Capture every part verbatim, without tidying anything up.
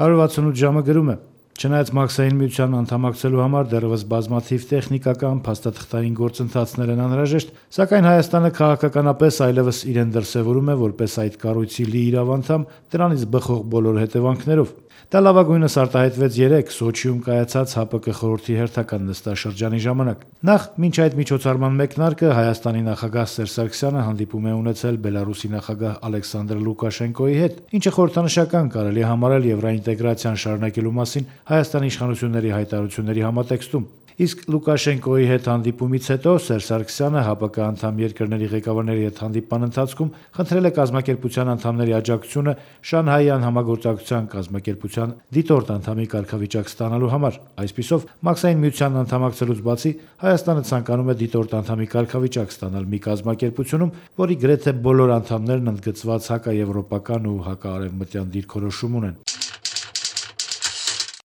հարյուր վաթսունութ ժամը գրում է. Չնայած Մաքսային միության անդամակցելու համար դեռևս բազմաթիվ տեխնիկական, փաստաթղթային գործընթացներ են անհրաժեշտ, սակայն Հայաստանը քաղաքականապես այլևս իրեն դրսևորում է որպես այդ կառույցի լիիրավ անդամ, դրանից բխող բոլոր հետևանքներով։ Դա լավագույնս արտահայտվեց երեկ Սոչիում կայացած ՀԱՊԿ խորհրդի հերթական նստաշրջանի ժամանակ։ Նախ, մինչ այդ միջոցառման մեկնարկը Հայաստանի նախագահ Սերժ Սարգսյանը հանդիպում է ունեցել Բելարուսի նախագահ Ալեքսանդր Լուկաշենկոյի հետ, ինչը խորհրդանշական կարելի է համարել եվրոինտեգրացիան շարունակելու մասին Հայաստանի իշխանությունների հայտարարությունների համատեքստում։ Իսկ Լուկաշենկոյի հետ հանդիպումից հետո Սերժ Սարգսյանը ՀԱՊԿ անդամ երկրների ղեկավարների հետ հանդիպման ընթացքում խնդրել է կազմակերպության անդամների աջակցությունը Շանհայյան համագործակցության կազմակերպության դիտորդ անդամի կարգավիճակ ստանալու համար։ Այսպիսով, Մաքսային միությանն անդամակցելուց բացի Հայաստանը ցանկանում է դիտորդ անդամի կարգավիճակ ստանալ մի կազմակերպությունում, որի գրեթե բոլոր անդամներն ընդգծված հակաեվրոպական ու հակաարևմտյան դիրքորոշում ունեն։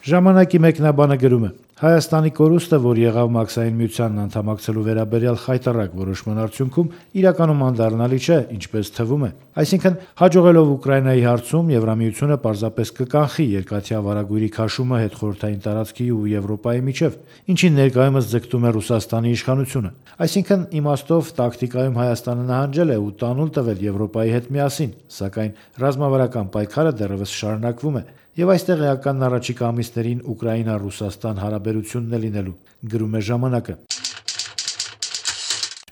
Ժամանակի մեկնաբանը գրում է. Հայաստանի կորուստը, որ եղավ Մաքսային միությանն անդամակցելու վերաբերյալ խայտառակ որոշման արդյունքում, իրականում անդառնալի չէ, ինչպես թվում է։ Այսինքն, հաջողելով Ուկրաինայի հարցում Եվրամիությունը պարզապես կկանխի երկաթյա վարագույրի քաշումը հետխորհրդային տարածքի ու Եվրոպայի միջև, ինչին ներկայումս ձգտում է Ռուսաստանի իշխանությունը։ Այսինքն, իմաստով տակտիկայում Հայաստանը նահանջել է ու տանուլ տվել Եվրոպայի հետ միասին, սակայն ռազմավարական պայքարը դեռևս շարունակվում է, եւ այստեղ էականն առաջիկա ամիսներին Ուկրաինա-Ռուսաստան հարաբերությունն է լինելու, գրում է ժամանակը։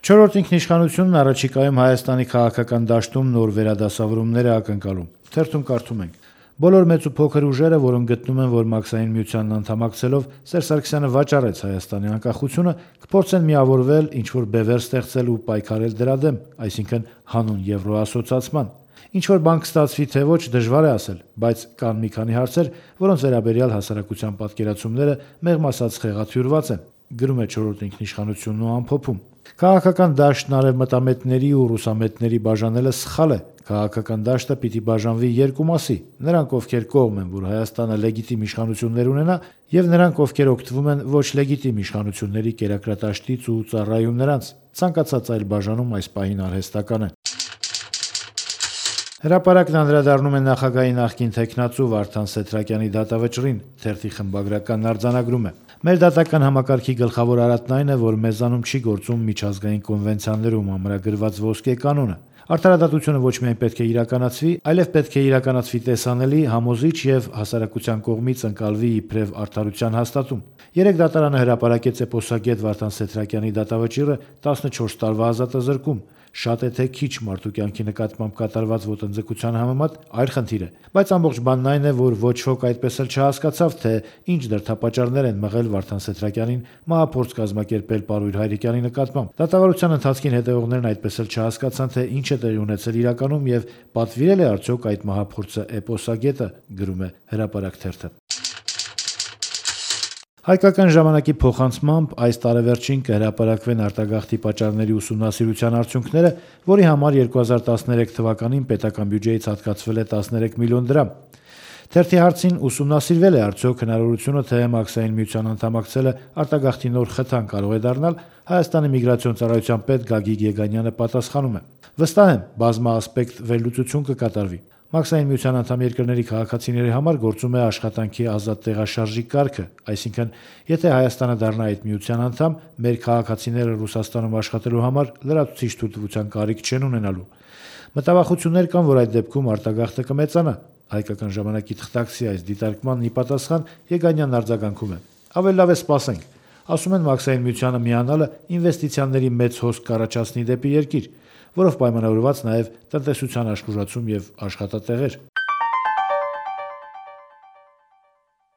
Չորրորդ ինքնիշխանությունն առաջիկայում Հայաստանի քաղաքական դաշտում նոր վերադասավորումներ է ակնկալում։ Թերթում կարդում ենք. Բոլոր մեծ ու փոքր ուժերը, որոնք գտնում են, որ Մաքսային միությանն անդամակցելով Սերժ Սարգսյանը վաճառեց Հայաստանի անկախությունը, կփորձեն միավորվել, ինչ-որ բևեռ ստեղծել ու պայքարել դրա դեմ, այսինքն հանուն եվրոասոցիացման։ Ինչ-որ բան կստացվի թե ոչ, դժվար է ասել, բայց կան մի քանի հարցեր, որոնց վերաբերյալ հասարակության պատկերացումները մեղմ ասած խեղաթյուրված են, գրում է չորրորդ ինքնիշխանությունն ու ամփոփում։ Քաղաքական դաշտն արևմտամետների ու ռուսամետների բաժանելը սխալ է։ Քաղաքական դաշտը պիտի բաժանվի երկու մասի՝ նրանք, ովքեր կողմ են, որ Հայաստանը լեգիտիմ իշխանություններ ունենա, եւ նրանք, ովքեր օգտվում են ոչ լեգիտիմ իշխանությունների կերակրատաշտից ու ծառայում նրանց։ Ցանկացած այլ բաժանում այս պահին արհեստական է։ Հրապարակն անդրադառնում է նախագահի նախկին թեկնածու Վարդան Սեդրակյանի դատավճռին, թերթի խմբագրականն արձանագրում է. Մեր դատական համակարգի գլխավոր արատն այն է, որ մեզանում չի գործում միջազգային կոնվենցիաներում ամրագրված ոսկե կանոնը։ Արդարադատությունը ոչ միայն պետք է իրականացվի, այլև պետք է իրականացվի տեսանելի, համոզիչ եւ հասարակության կողմից ընկալվի իբրև արդարության հաստատում։ Երեք դատարանը հրապարակեց էպոսագետ Վարդան Սեդրակյանի դատավճիռը տասնչորս տարվա ազատազրկում։ Շատ է թե քիչ մարդու կյանքի նկատմամբ կատարված ոտնձգության համեմատ այլ խնդիր է, բայց ամբողջ բանն այն է, որ ոչ ոք այդպես էլ չհասկացավ, թե ինչ դրդապատճառներ են մղել Վարդան Սեդրակյանին մահափորձ կազմակերպել Պարույր Հայրիկյանի նկատմամբ։ Դատավարության ընթացքին հետևողներն այդպես էլ չհասկացան, թե ինչ է տեղի ունեցել իրականում եւ պատվիրել է արդյոք այդ մահափորձը էպոսագետը, գրում է Հրապարակ թերթը։ Հայկական ժամանակի փոխանցմամբ այս տարեվերջին կհրապարակվեն արտագաղթի պատճառների ուսումնասիրության արդյունքները, որի համար երկու հազար տասներեք թվականին պետական բյուջեից հատկացվել է տասներեք միլիոն դրամ։ Թերթի հարցին ուսումնասիրվել է արդյոք հնարավորությունը, թե Մաքսային միության անդամակցելը արտագաղթի նոր խթան կարող է դառնալ, Հայաստանի միգրացիոն ծառայության պետ Գագիկ Եգանյանը պատասխանում է. Վստահ եմ, բազմաասպեկտ վերլուծություն կկատարվի։ Մաքսային միության անդամ երկրների քաղաքացիների համար գործում է աշխատանքի ազատ տեղաշարժի կարգը, այսինքն, եթե Հայաստանը դառնա այդ միության անդամ, մեր քաղաքացիները Ռուսաստանում աշխատելու համար լրացուցիչ թույլտվության կարիք չեն ունենալու։ Մտավախություններ կան, որ այդ դեպքում արտագաղթը կմեծանա։ Հայկական ժամանակի թղթակցի այս դիտարկմանն ի պատասխան Եգանյանն արձագանքում է. Ավելի լավ է սպասենք։ Ասում են Մաքսային միությանը միանալը ինվեստիցիաների մեծ հոսք կառաջացնի դեպի երկիր, որով պայմանավորված նաև տնտեսության աշխուժացում եւ աշխատատեղեր։